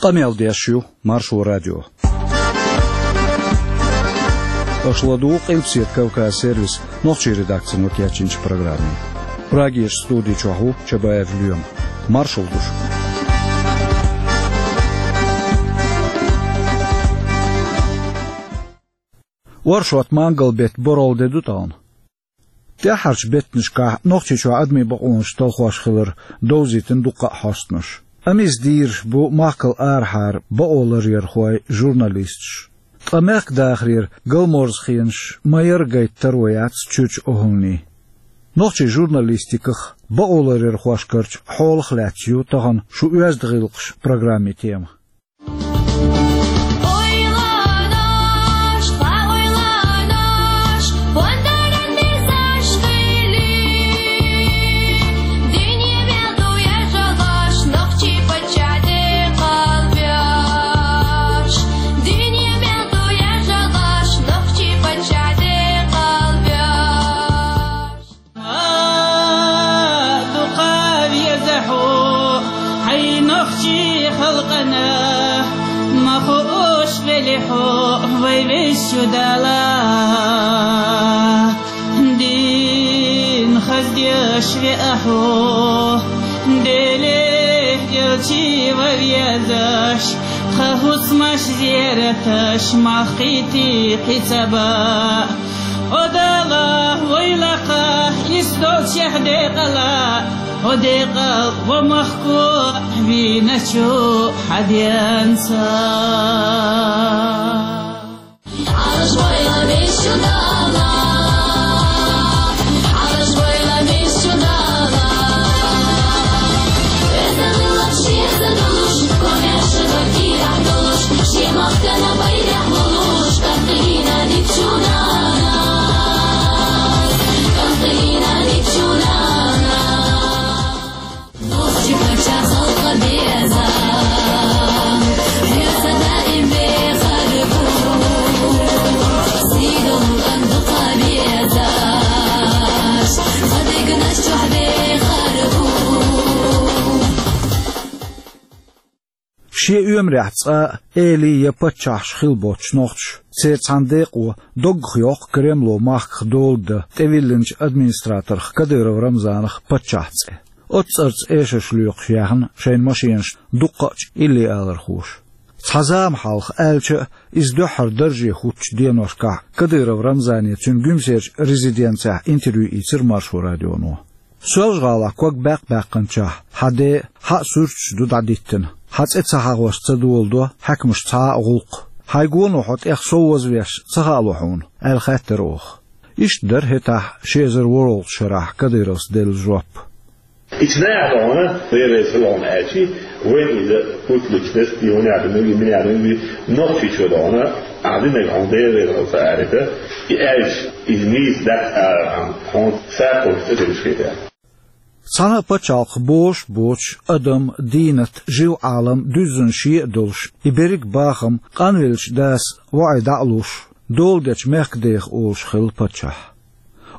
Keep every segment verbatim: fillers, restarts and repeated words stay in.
Къамел деш ю Маршо радио. Аша ладугӀу Къилбаседа Кавказ сервисан нохчийн редакцино кечйинчу программе. Прагерчу студи чохь ву Чабаев Лоьма. Маршалла ду шуьга. Оршот-мангал беттан борхӀалгӀа де ду тахана. ТӀаьххьарчу беттанашкахь Нохчийчохь адамийн бакъонаш талхош хилар довзийтина дуккха а хьостанаш. Амма иза дийраш бу махкал арахьара бакъоларъярхой, журналисташ. Ткъа мехкан дахарера галморза хенаш ма-ярра гайта таро яц чуьрчу охӀланийн. Нохчийн журналистиках, бакъоларъярхошкарчу хьолах лаьцна ю тахана шун «Оьзда гӀиллакхаш» программин тема. Ойланаш, ойланаш, пондаран дезаш хили. Дуьне мел ду яжалаш, нохчийн паччахь декъал беш. Дуьне мел ду яжалаш, нохчийн паччахь декъал беш. Ма дукха веза хьо, хьайн нохчийн халкъана, ма хууш велахь хьо, вай везачу Дала. Дин хаздеш веа хьо, Деле элча ван везаш, тхан хӀусамаш, зераташ, мах кхийтий кхин ца баа. Хьо Дала войла кхайкха, иштта долчехь декъала, хьо декъал ва махко вийначу хьан денца. Ӏалаш войла везачу Дала, Ӏалаш войла везачу Дала. Веза гӀиллакх шеца долуш, комаьрша ваккхий ахь долуш, шен махкана байракх лулуш, кӀантий динчу нанас, кӀантий динчу нанас. Нохчийн паччахь халкъан беза, веза даим бехар бу, сий долу кӀант дукха везаш, ма дегнаш чохь бехар бу. Шен оьмарехь цкъа а эли я паччахьаш хилла боцуш нохчаша, церан цхьана декъо доггах йоккху Кремло махках дола дан тӀевиллинчу администраторх Кадыров Рамзанах паччахьан цӀе. Оццу цӀарца эшарш лоькхуш яьхна шайн машенашна дуккха а илли алархоша. Цхьа зама хьалха аьлча а, иза дуьххьара дарже хӀуттучу деношкахь Кадыров Рамзане цуьнан Гуьмсерчу резиденцехь интервью ийцира Маршо радионо. Соьлжа-ГӀалахь ког баьккх-баьккхинчохь хьан ден а, хьан а суьрташ ду дӀадиттина. Хьан цӀе ца хьахош ца доладо хьаькамаша цхьа а гӀуллакх. Хьайн гоно хьо тӀех сов вазвеш ца хаало хьуна, аьлла хаьттира оха. Иштта дара хӀетахь ши эзар ворхӀалгӀачу шарахь Кадыровс делла жоп. Ича наха догӀна, Дела реза хила хьуна аьлчи, вайн иза путлучу дас, и хӀуна яхана, и мина яхана, и Нохчийчу догӀна, ахь динарг хьуна Дела реза хила ца аьлча, и аьлча, иза нийса дац алархьама, хьуна сакхуьйсу цӀе делаш хета. Цхьана а пачхьалкхах бозуш а боцуш, адам, дийнат, жив-Ӏалам дуьззина шен а долуш, и берриг а бахам къанвеллачу дас воӀе дӀа а луш, дола дечу мехкан дех олуш хилла паччахь.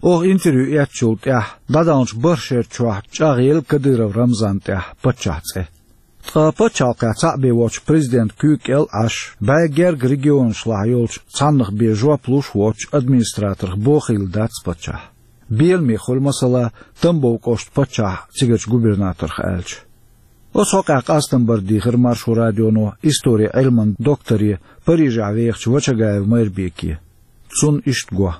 Оха интервью эцначул тӀаьхьа дӀадаханчу бархӀ шеран чохь чӀагӀъелла Кадыров Рамзанна тӀехь паччахьан цӀе. Ткъа пачхьалкхехь цхьаъ бен воцчу президентан куьйга кӀел а Ӏаш, бӀе гергга регионашлахь йолчу цхьаннах бен жоп луш а воцчу администраторх бохийла дац паччахь. Беламе хуьлу, масала, Тамбов кӀоштан паччахьан цигарчу губернаторх аьлча. Оцу хьокъехь къастам бар дийхира Маршо радионо историн Ӏилманан докторе, Парижехь вехачу Вачагаев Майрбеке. Цунна иштта го.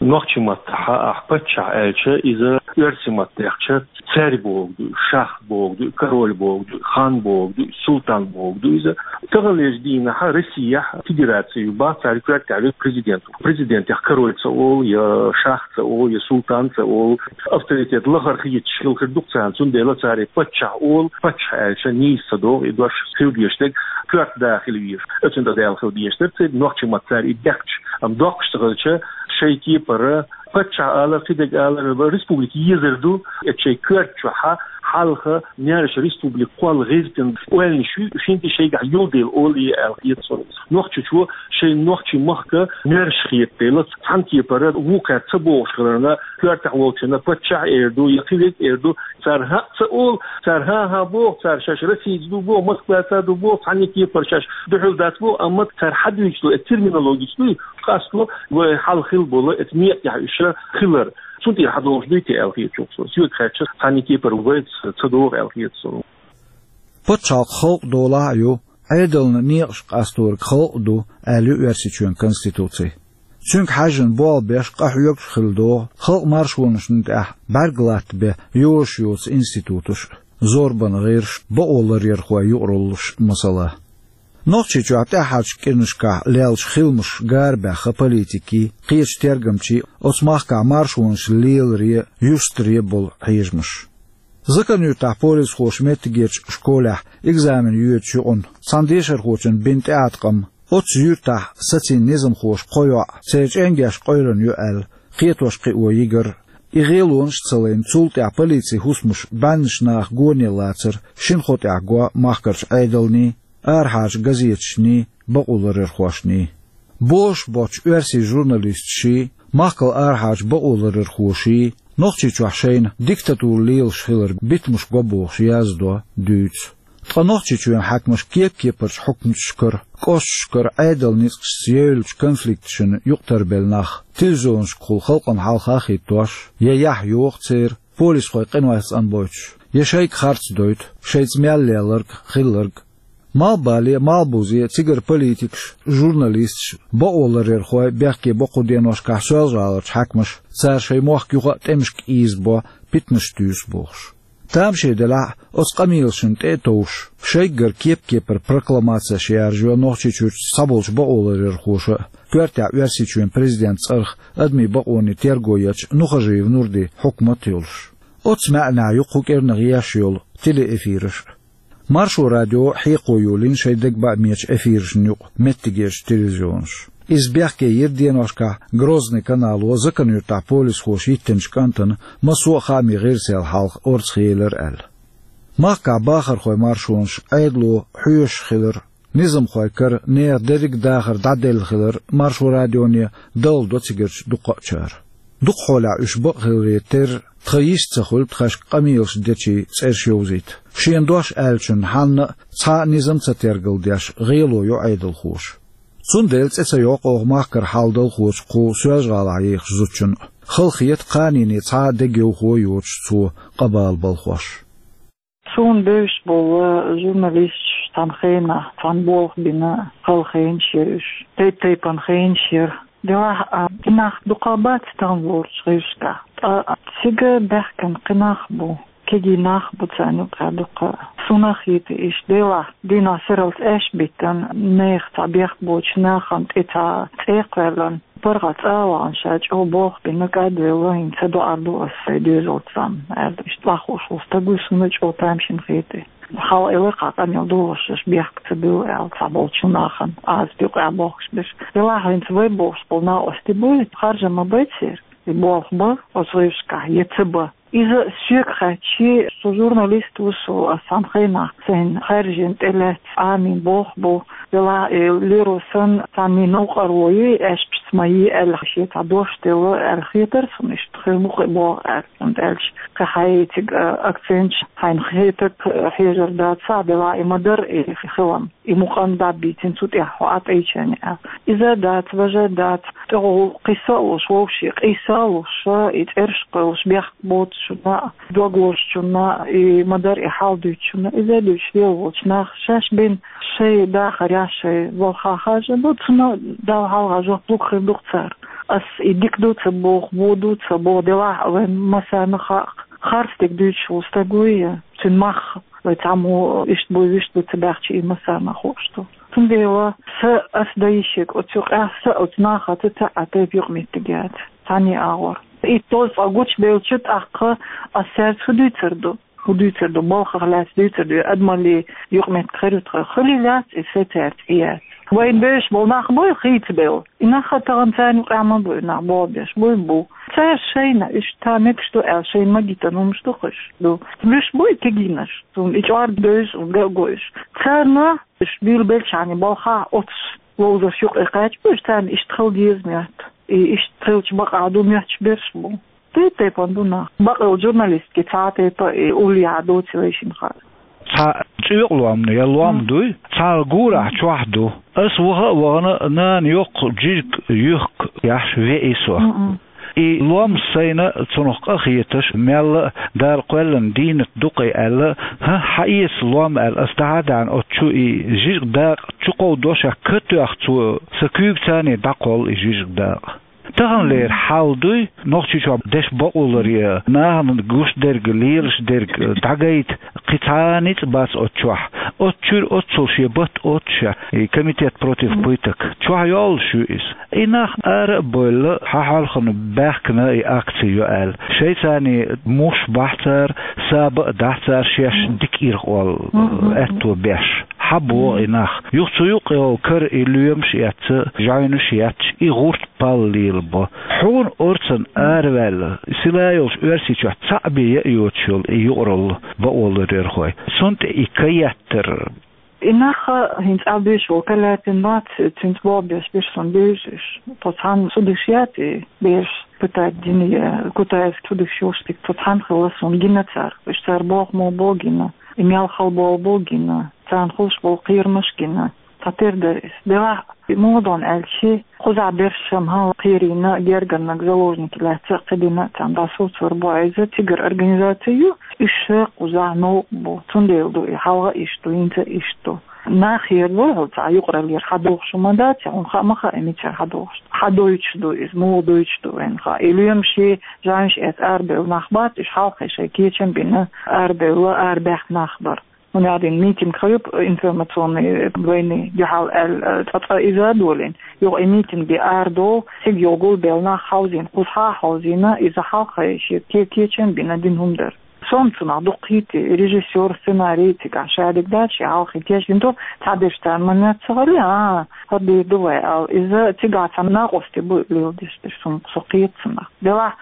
Нохчийн маттахь ахь паччахь аьлча, иза оьрсийн маттахь дехча, царь бохург ду, шах бохург ду, король бохург ду, хан бохург ду, султан бохург ду иза. Таханлерчу дийнахь Россехь федераци ю, бах, царна коьртехь верг президент ву. Президентех король ца олу, я шах ца олу, я султан ца олу. Авторитет лахара хеташ хила хир ду-кх царна, цундела цара паччахь олу, паччахь аьлча нийса ца догӀу, и дош хила дезаш дерг коьрта да хила везаш. Оцунна тӀе даьлла хила дезаш дара церан нохчийн маттахь цара и дехча. Амма доккхуш ца хилча, шайн кепара паччахь алар, кхидерг алар, республика езар ду, и шайн коьрта чохь хьалха маьрша республика кхолла гӀиртина ойланаш ю, шин тӀе шайгахь юлдела олий аьлла хета со. Нохчийчо шайн нохчий махка маьрша хетадела, цхьана кепара вукхаьрца ца бохуш хиларна, коьртехь волчунна паччахь эр ду, я кхин верг эр ду, цара хӀаъ ца олу, цара хӀан-хӀа боху, цара шаьш Россица ду боху, Москваца ду боху, цхьана кепара шаьш дуьхьал дац боху, амма цара хьадуьйцу, эцу терминологица дуй, къасто вай хьал хила болу, эцу некъ тӀехь уьш хилар. Цунна тӀера хьадолуш дуй те аьлла хеташ ву со. Соьга хаьттича, цхьана кепара вайца ца догӀу аьлла хета со. Пачхьалкх халкъ долахь а ю, Ӏедална некъаш къасториг халкъ а ду, аьлла ю Оьрсийчоьнан Конституци. Цуьнга хьаьжжина болх беш къахьоьгуш хилла догӀу халкъан маршонашна тӀехь бӀаьрг латта бен йозуш йоцу институташ а, зорбанан гӀирсаш а, бакъоларъярхойн юкъараллаш а, масала. Нохчийчохь тӀаьххьарчу кӀирнашкахь леллачу хиламаша гар баьхна политикийн, кхечу тергамчийн оцу махкахь маршонаш леларе, юстаре болу хьежамаш. Закан-Юьртахь полисхоша меттигерчу школехь экзамен йоьдучу юкъана цхьана дешархочунна бина тӀеӀаткъам, оццу юьртахь сацийна низамхоша кхо йоӀ церан чӀенгеш къойлана ю аьлла, кхетош-кхио йигар. И гӀелонаш а ца лайна, цул тӀаьхьа полицин хӀусамаш бӀеннаш наха гоне лацар шина хӀу тӀехь го махкарчу Ӏедалний, арахьарчу газеташний, бакъоларъярхошний. Бозуш боцчу оьрсийн журналисташий, махкал арахьарчу бакъоларъярхоший Нохчийчохь шайна диктатура лелаш хилар битамаш го бохуш яздо, дуьйцу. Ткъа Нохчийчоьнан хьаькамаша кеп-кепарчу хьукматашкара, кӀошташкара Ӏедалан ницкъашца евллачу конфликташна юкъатарбелла нах телевизионашкахула халкъана хьалха а хӀиттош, я яхь йоху церан, полисхой къинойх цӀанбойтуш, я шайга харц дойту, шайца мел лелларг, хилларг. Малхбале, малхбузе цигара политикаш, журналисташ, бакъоларъярхой бехке бо кху деношкахь Соьлжа-ГӀаларчу хьаькамаша, цара шайн мохк юха а тӀемашка ийзабо, питанаш туьйсу бохуш. Тамашийна делахь а, оцу къамелашна тӀе а товш, шайггара кеп-кепара прокламацеш яржайо Нохчийчуьрчу цхьаболчу бакъоларъярхоша а, коьртехь Оьрсийчоьнан президентан цӀарах адамийн бакъонийн терго ечу Нухажиев Нурдин хьукмат а йолуш. Оццу маьӀнехь ю кху кӀирнах еш йолу телеэфираш а. Маршо радио хьекхо йолийна шайн дагабаьхкинчу эфирашна юкъа меттигерчу телевизионаша. Иза бехке йира деношкахь Грозный канало Закан-Юьртахь полисхоша йиттинчу кӀантана массо а хаамийн гӀирсал хьалха орцахъелира аьлла. Махкахь бахархойн маршонаш Ӏедало хьоьшуш хилар, низамхойн кара нехан дерриг а дахар дӀаделла хилар Маршо радионе далла до цигарчу дукхачара. Дукха хьолехь уьш бакъ хиларе терра, тхан йист ца хуьлу тхаьшка къамелаш дечийн цӀераш йовзийта. Шена дош аьллачунна хьанна а цхьа а низам ца тергалдеш, гӀело йо Ӏедалхоша. Цундела цӀе ца йоккху оха махкара хьал далхочу кху Соьлжа-ГӀалахь ехачу зудчунна а. Хала хета, кханенан цхьа а дегайовхо а йоцуш цо къа бала балхош. Суна бевзаш болу журналисташ цхьана хенахь, цхьана болх бина, хала хенаш яра уьш. Тайп-тайпана хенаш яра. Делахь а, и нах дукха бац тахана лоручу гӀирсашкахь. Ткъа цига баьхкина кхин нах бу, кегий нах бу царна юкъахь дукха. Суна хета иштта, делахь, дийнахь сарралц аьшпаш биттина, нехан цхьа бехк боцучу нахана тӀе цхьа цӀе кхоьллина, паргӀат цӀа а вахана, ша чӀогӀа болх бина, кӀадвелла, хӀинца доӀар ду ас сайн доьзалца, аьлла, иштта охьахууш волу стаг ву, суна чӀогӀа тамашийна хета. Хьала элира-кх къамел дохуш, аша бехк ца буьллу аьлла, цхьаболчу нахана, Ӏазап юкъахь бохкуш берш. Делахь хӀинца вай бохуш болу накъостий буй, харжам ма бай церан, и болх бан оцу гӀирсашкахь, я ца бан. Иза соьга хаьттича, со журналист ву, со ас цхьана хенахь сайна хаьржина, тӀелаьцна, Ӏамийна болх бу, делахь и леро санна, цхьанний новкъарло йий, аьшпашца ма йий аьлла, шен цхьа дош делла аьлла хетара суна, иштта хир бу-кх и болх аьлла, хӀунда аьлча кхин хьайн цига акценташ, хьайна хетарг хьежар дац, делахь и ма дара и хилам. И мукъана дӀа а бийцина цу тӀехь хьо Ӏа тӀе йича аьлла. Иза а дац, важа а дац, тӀехула кхин са а луш, вовшийн къийса а луш, и цӀераш кхоьллуш бехк боцучунна а, дог лозучунна а, и ма-дарра и хьал дуьйцучунна а, иза а дуьйцуш лела волчу наха шаьш бина шайн дахарехь, шайн балхахь харжам бо, цунна Далла хьалха жоп лур хир ду-кх цара. Ас и дика ду ца боху, вон ду ца боху, делахь а вайн массарна а хаьа-кх, харц дерг дуьйцуш волу стаг вуй, цуьнан мах вай цхьаммо иштта буй, вуьшта буй ца баьхча, и массарна а хууш ду. Цундела сан ас дан йиш ерг оцу юкъахь, сан оцу нахаца цхьа а тайпа юкъаметтиг яц, цхьанний агӀор. Итт-шовзткъа гучубелча, тӀаккха ас цаьрца хӀун дуьйцур ду? ХӀун дуьйцур ду? Балхах лаьцна дуьйцур ду? Адамаллин юкъаметтиг хир ю тхан? Хуьлий лаьцна и сан цаьрца и яц? Вайна бевзаш болу нах буй хийцабелла? И нах а тахана царна юкъахь ма буй, нах болх беш буй, бу. Цара шайна, иштта метташ ду аьлла, шайна магийтина хӀумаш ду-кх уж. Ду. Луьш бу и кегийнаш, цунна и чӀор девзаш, цунна ган а гуш. Царна уж буьйлабелча хана балха оццу ловзарш юкъе кхаьчбеш, царна иштта хила деза моьтту. И иштта хилча бакъахьа ду моьттуш берш бу. Тайп-тайпана ду нах. Бакъ йолчу журналистки цхьа тайпа и уллехьа доций вайшинна хаар. Цхьа цӀоькъа лом я лом дуй, цхьа гурахь чохь ду. Ас ваха а вахана, нана йоккха жижиг юьхк яхьаш веъий со. Мгм. И лом сайна цунах къа хеташ, мелла а Дала кхоьллина дийнат ду-кх и аьлла, хӀан, хьаэца лом аьлла, ас дӀа а даьхьна оцу чу и жижиг дакъа чу кховдош, ка тоьхна цо, сан куьйга царний дӀакхолла и жижиг дакъа. Таханлера хьал дуй, Нохчийчохь деш бакъолар я, нахана гуш дерг, лелаш дерг дӀагайта, кхин цхьа ницкъ бац оцу чохь. Оцу чуьра оццул шен батт оццуша, и комитет против пыток. Чохь йоллуш ю иза. И нах ара а бевлла, хьан хьалхана баьхкина и акци ю аьлла. Шайцарний муш бахь цара, саба а дахь цара шаьш дика ирхъолла аьтто беш. Хьан боху и нах? Юха цу юккъе йолу кара и лоьмаш а эцна, жайнаш а етташ, и гӀурт пал лелабо. Хьуна орцан араваьлла, сила йолчу Оьрсийчохь цхьаъ бен яа йоцуш йолу и юкъаралла бакъоларъярхой. Цунна тӀе и ка еттар. И нах хӀинца Ӏа беш волу Каляпин бац, цуьнца болх беш берш сан буьйсуш. Тхо цхьаьна цу деш яц и бераш пытать дина я, Кутаевский цу деш йолуш дика тхо цхьаьна хилла суна гина цара. Уьш цара боху мо бо гина, и мел хала болу бо гина, царна хуьлуш болу кхерамаш гина. Цхьатера дара иза. Делахь, муха ду аьлча, кхузахь берш ма хьала кхерийна, гергарниг заложники лаьцна а кхидина а царна дӀасуцур бу иза, цигара организаци ю, уьш ша кхузахь новкъа бу. Цундела ду и, хьалха а иштта ду, хӀинца а иштта ду. Нах хер ву хьо цхьа юкъараллера хьадохуш хӀума дац, хьуна хаа ма хаьа мичара хьадохуш. Хьадойтуш ду иза, муха дойтуш ду вайна хаьа. И лоьмаш, жайнаш эцна арабевлла нах бац, уьш хьалххе шайн кечам бина арабевлла, арабаьхна нах бара. ХӀунда аьлла митинг хьуьйпа информационный войны дуьхьал аьлла, цкъа-цкъа иза а долийна. Юха и митинге арадолу, цига йолу гулбелла нах хьовзийна, кхузахь а хьовзийна, иза хьалххе шен ке-, кечам бина дина хӀума дара. Сом цунах дукха хийти, режиссёр, сценарий цигахь шадерг дац, шен хьалхе кечдина ду, цхьаберш царна ма-нетта ца хилла, а, хӀара дийр ду вай аьлла. Иза цигахь цхьа накъостий бу леладеш дерш, со кхета цунах. Делахь,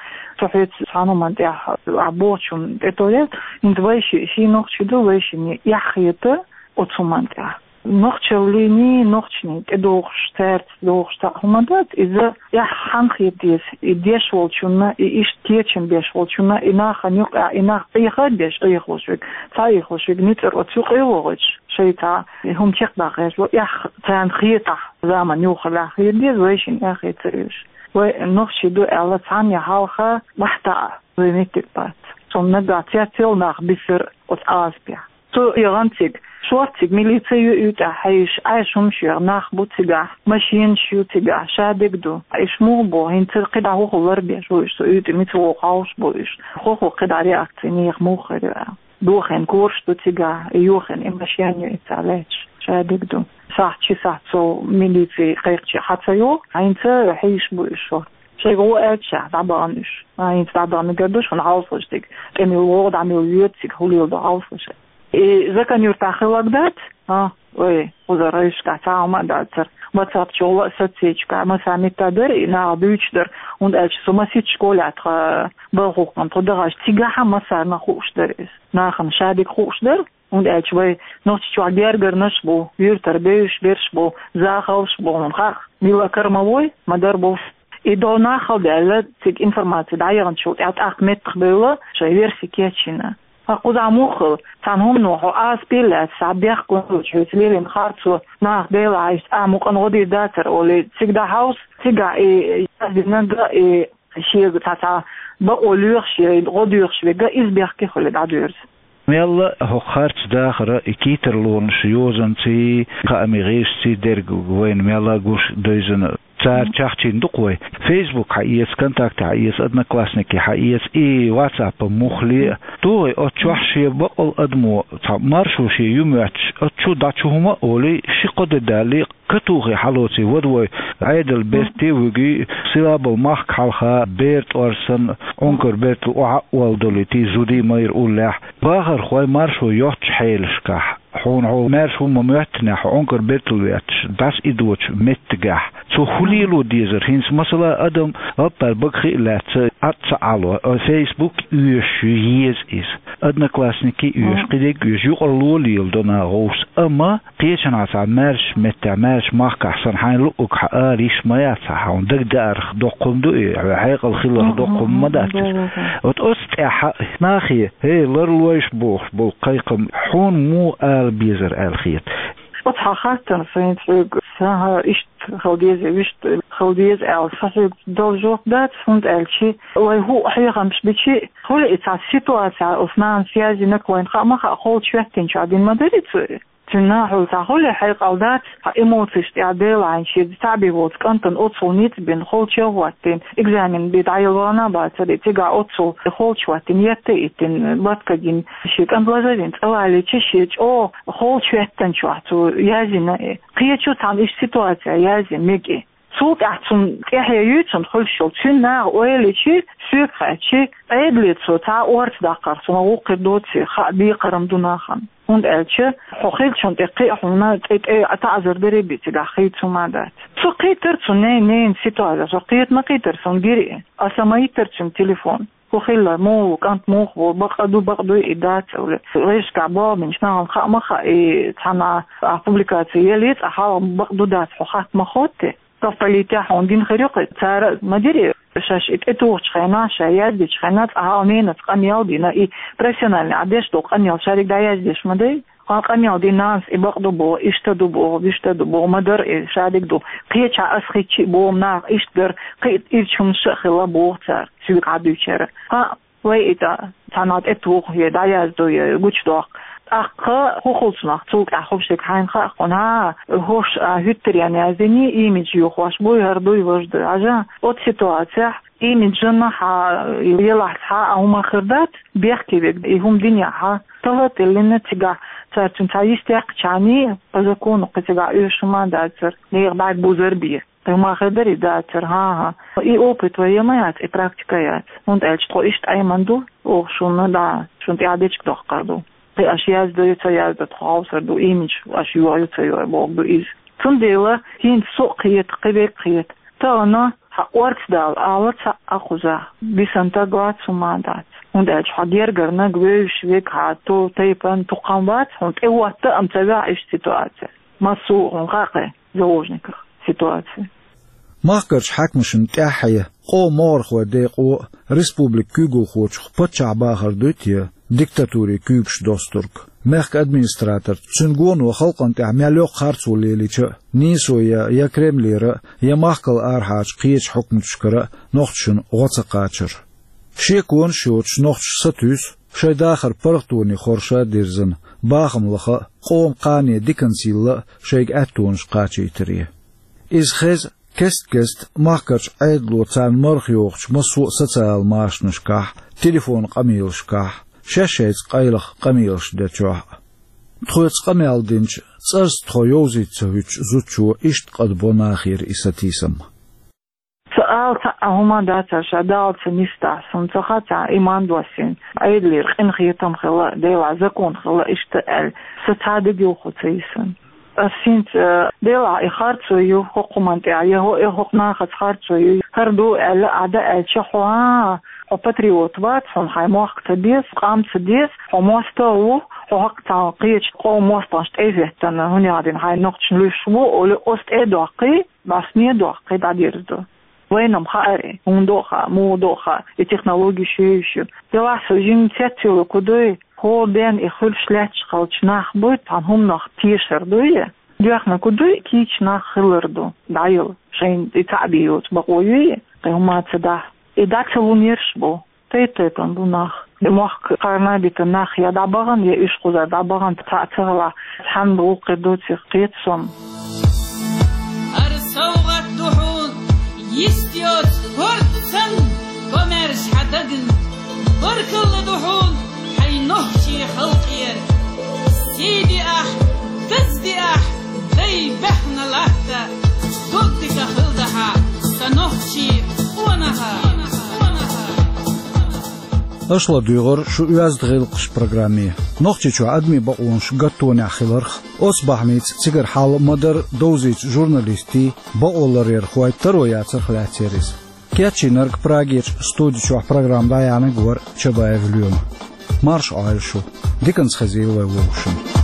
со хьоьца цхьана хӀуманна тӀехь, а, бохучунна тӀетовр яц, хӀинца вайши, ши нохчи ду, вайшинна эхь хета оцу хӀуманна тӀехь. Нохчаллиний, нохчаний тӀедогӀуш, цаьрца догӀуш цхьа хӀума дац, иза эхь хьанна хета деза, и деш волчунна, и иштта кечам беш волчунна, и нахана юкъахь, и нах Ӏеха а деш, Ӏехалуш верг, ца Ӏехалуш верг, ницкъара оцу юкъе а вогӀуьйтуш, шайца и хӀума чекхдаккха гӀерташ бу, эхь царна хетахь, заман юхалехь хета деза, вайшинна эхь хета ца оьшу. Вай нохчий ду аьлла, цхьанна я хьалха бахьа таӀа вай меттиг бац. Цунна нагахь цецъяла нах бисира оцу Ӏазапехь. Цу егӀан цига, шортта цига милице ю уьйтӀахь хьаьжча, Ӏаьржа хӀумаш йоьхна нах бу цигахь, машенаш ю цигахь, шадерг ду. Уьш муха бу, хӀинца кхидӀа хӀун хилар беш бу уьш, цу уьйтӀа мица вогӀу хьовсуш бу уьш. ХӀун хилла кхидӀа реакци, нехан муха хир ю аьлла. Дохийна кораш ду цигахь, и йохийна и машен ю, и цхьа лаьтташ, шадерг ду. Сахьт, ши сахьт сов милици кхайкхича хьа ца йогӀу, хӀинца хьийзаш бу уьш шортта. Шайга гӀо аьлча, дӀабахана уьш. А, хӀинца дӀабаха мегар ду шуна хьовсалаш цига. ТӀе мила вогӀу, дӀа мила йоьду цига, хӀун леладо хьовсалаш. И Закан-Юьртахь хиларг дац? А, вай, кхузара гӀайшкахь цхьа хӀума а дацара. Ватсап чухула а, соцсеташкахь а, массара меттехь дара, и наха дуьйцуш дара. ХӀунда аьлча со масийтта школехь тхан балха хӀутту тхо дахча, цигахь а массарна хууш дара иза. Нахана шадерг хууш дара. ХӀунда аьлча вай Нохчийчохь гергарнаш а бу, юьртара бевзаш берш а бу, захалш а бу, хьуна хаьа, мила кара ма вой, ма-дарра бу. И догӀу нах хала даьлла, цига информаци дӀаяханчул тӀаьхьа тӀаккха меттахбевлла, шайн верси кечйина. Ткъа кхузахь муха хила, цхьана хӀумано хьо Ӏазапе лаьцна, схьа бехк луьйчу хьоьца лелийна харцо, нах Делахь, иштта а мукъана гӀо дийр дацара олий, цига дӀахьовса, цигахь и яздинарг а, и шега цхьа-цхьа бакъо лоьхуш я, гӀо доьхуш верг а, иза бехке хуьлий дӀадоьрзу. Мелла а хӀокху харц дахара и кий тарлонаш йозанций, кхаамийн гӀирсашций дерг вайна мелла а гуш девзина. Цара чахчийна ду-кх вай. Фейсбук хьаэца, ВКонтакте хьаэца, Одноклассники хьаэца, и ватсапа муххале а. Тухий оцу чохь шен бакъал адамо, цхьа маршо шен ю моьттуш, оцу чу дӀа чу хӀума а олий, ши-кхо де далале а, катухий хьалоций вада вой, Ӏедал берте а вуьгий, сила болу махка хьалха бер тӀор санна, Ӏункар бертал охьа а олдалуьйтий, зудий майра уллехь, бахархой маршо йоццучу хьелашкахь. Хьуна хьо маьрша хӀума моьттинехь, хьо Ӏункар беттал ветташ, дӀасаидочу меттигехь, цо хӀун лело дезара? ХӀинца, масала, адам гӀаппар бага хи а лаьцна, Ӏад ца Ӏало, а, Facebook оьшуш еза иза, Одноклассники оьшуш, кхидерг оьшуш, юкъара ло леладо наха гӀовс. Амма кхечанхьа цхьа маьрша меттехь, маьрша махкахь санна, хьайна луъург хьан ала йиш ма яц хьан, хьуна дагадаарах доккха хӀума ду и, хьекъал хиларх доккха хӀума ма дац иза. Вот оцу тӀехь нахе, хӀей, ларлойша бохуш болу кхайкхам хьуна муха ала безара аьлла хета? Оцу хьан хаттарна сайна хьоьга, сан хьан иштта хила деза, вуьшта хила деза аьлла, сан хьоьга дала жоп дац, хӀунда аьлча вай хӀуъа хьехамаш бичи, хуьлу и цхьа ситуация, оцу нанас яздинарг вайна хаа ма хаьа, холчу хӀоьттинчохь дина ма дара и цо. Цуьнан нахьула цхьа хуьлу хьекъал дац, хьан эмоцеш тӀехь делахьийна шеца цхьаъ бен волчу кӀантана оццул ницкъ бина, холчу а хӀоттийна, экзамен бен дӀаелла вахана а бацара, и цигахь оццул холчу хӀоттийна, етта а йиттина, латка гина, шен кӀант лазавина, цӀа валийча, шен чӀогӀа холчу хӀоьттинчохь цо яздина и. Кхечо цхьана иштта ситуация язйина мега и. Цул тӀаьхьа цунна тӀаьхье юй цунна хуьлуш йолу. Цуьнан наха ойла йичи, соьга хаьттичи, Ӏедале цо цхьа а орца даккхарх цунах гӀуллакх хир доций, хаа декхар-м ду нахана. ХӀунда аьлча хьо хиллачунна тӀе кхин а хьуна тӀе-тӀе таӀзар даре а бен цигахь хийца хӀума а дац. Цо кхийтира цунна ней-, ненан ситуация, со кхета ма кхийтира, суна гира и. Аса ма йиттира цуьнга телефон. ХӀун хилла, муха ву, кӀант муха ву, бакъ а ду, бакъ дуй и, дац а, уьлу. Гӏирсашкахь болх бинчу нахана хаа ма хаьа, и цхьана а публикаци еллий, цкъа хьалха бакъ ду, дац, хьо хатта ма хоттий. Совполитехь хьуна дина хир ю-кх и, цара а ма дирий, шаьш и тӀетухучу хенахь, ша яздечу хенахь, цкъа хьалха ненас къамел а дина, и профессиональный а деш долу къамел шадерг дӀаяздеш ма дай. Хьан къамел дина нанас и бакъ ду боху, иштта ду боху, вуьшта ду боху, ма дара и шадерг ду. Кхечахьа ас хитча а боху, наха иштта дара, кхин а ирча хӀуманаш а хилла боху цара, соьга хьан дуьйцура. ХӀаъ, вай и тӀа цхьана тӀетуху, я дӀаяздо, я гучудоккху. ТӀаккха хӀун хуьлу цунах, цул тӀаьхьа хӀума шега хьайна хаьа хьуна, хӀа, хӀорш а хӀуьттаренна яздиний, имидж йохош буй, хӀара дуй, важа дуй, хьажа. Оцу ситуацехь имиджана хьан елахь цхьа а хӀума хир дац, бехке верг и хӀума динехь, хьан тала а тиллина цигахь, цара цуьнан цхьа йист яьккхича хьаний, по закону кхин цигахь оьшуш хӀума а дацара, нехан бӀаьрг бузар бен. Кхин хӀума хир дара и, дацара, хӀан-хӀа. И опыт вай ян ма яц, и практика яц. ХӀунда аьлча тхо иштта Ӏемина ду, оха шуна, да, шуна тӀехь дечиг доккхур ду. Кхин аша яздо, ца яздо, тхо хьовсур ду, имидж аша йохьу, ца йохьу бохург ду иза. Цундела хӀинца со а кхета, кхин верг а кхета. Тахана хьан орца дала ала цхьа а кхузахь, дисина стаг вац, хӀума а дац. ХӀунда аьлча хьан гергарниг, вевзаш верг, хьан ту-, тайпана тукхам вац, хьуна тӀехӀотта а ца ваьхьа иштта ситуация. Массо а хьуна хаьа кхин заложниках ситуация. Махкарчу хьаькамашна тӀаьххье, къоман могӀархойн декъо республикан куьйгалхочух паччахьан бахар дуй те, диктатуре куьйгаш достург? Мехкан администраторца, цуьнан гоно халкъана тӀехь мел йоккха харцо лелийча а, нийсо я, я Кремлера, я махкал арахьарчу кхечу хьукматашкара нохчашна гӀо ца кхачар. Шеконаш йоцуш нохчаша сатуьйсу шайн дахар паргӀатоне хорша а дирзина, бахам лаха а, къоман кхане диканца йилла а шайга аьттонаш кхачийтаре. Иза хеза кест-кеста махкарчу Ӏедало царна марха йохучу массо а социал машанашкахь, телефонан къамелашкахь, шаьш-шайца къайлаха къамелаш дечохь а. Тхоьца къамел динчу, цӀарца тхо йовзийта ца хӀуьттучу зудчо иштта къадбо нахера и сатийсам. Ца ала цхьа а хӀума дацара, ша Далла ца нисдахь, суна ца хаьа цхьа а иман доссийна, Ӏедалера къинхетам хилла, Делахь закон хилла, иштта аьлла, сан цхьа а дегилхо ца йисина. Ас хӀинца, э, делахь и харцо ю хӀокху хӀуманна тӀехь, я хӀо-, я хӀокху нахаца харцо ю, хӀара ду аьлла, Ӏада аьлча, хьо, а, хьо патриот вац, хьуна хьайн мохк ца деза, къам ца деза, хьо мостагӀа ву, хьо хӀокху цхьана кхечу къоман мостагӀашна тӀе а хӀоьттина, хӀунда аьлча хьайн нохчашна луьйш ву, олий, оцу тӀе а доккхий, бӀаьсте а доккхий, дӀадирзадо. Вайна-м хаьа и, хӀунда а хаьа, муха а хаьа, и технологеш ю-ю. Делахь со жимма цецвелларг хӀун дуй, хӀора ден и хуьлуш лаьтташ хиллачу нах буй, цхьана хӀуманах тешар дуй, доьхнарг хӀун дуй, кийча нах хилар ду, дӀаяла, шайна и цхьаъ бен йоцу бакъо юй, кхин хӀума ца дахь. И дӀа ца лун ерш бу, тайп-тайпана бу нах. Мохк кхарна а битина нах я дӀабахана, я уьш кхузара дӀабахана, цхьаъ ца хилахь, цхьаьна гӀуллакх хир доций кхета со-м. ХӀара совгӀат ду хьуна, йист йоцу корта санна, комаьрша хьан дагна. Баркалла ду хьуна хьайн нохчийн халкъера. Сий диахь, даз диахь, дай баьхна латта, дог дика хилдахьа, сан нохчийн къонаха. Аша ладуьйгӀар шу «Оьзда гӀиллакхаш» программе. Нохчийчохь адамийн бакъонаш гаттонехь хиларх, оцу бахьанца цигара хьал ма-дарра довзийта журналистийн, бакъоларъярхойн таро яцарх лаьцна яра иза. Кечйинарг Прагерчу студи чохь программа дӀаяьхьнарг вара Чабаев Лоьма. Марша Ӏойла шу. Диканца хезийла вай вовшашна.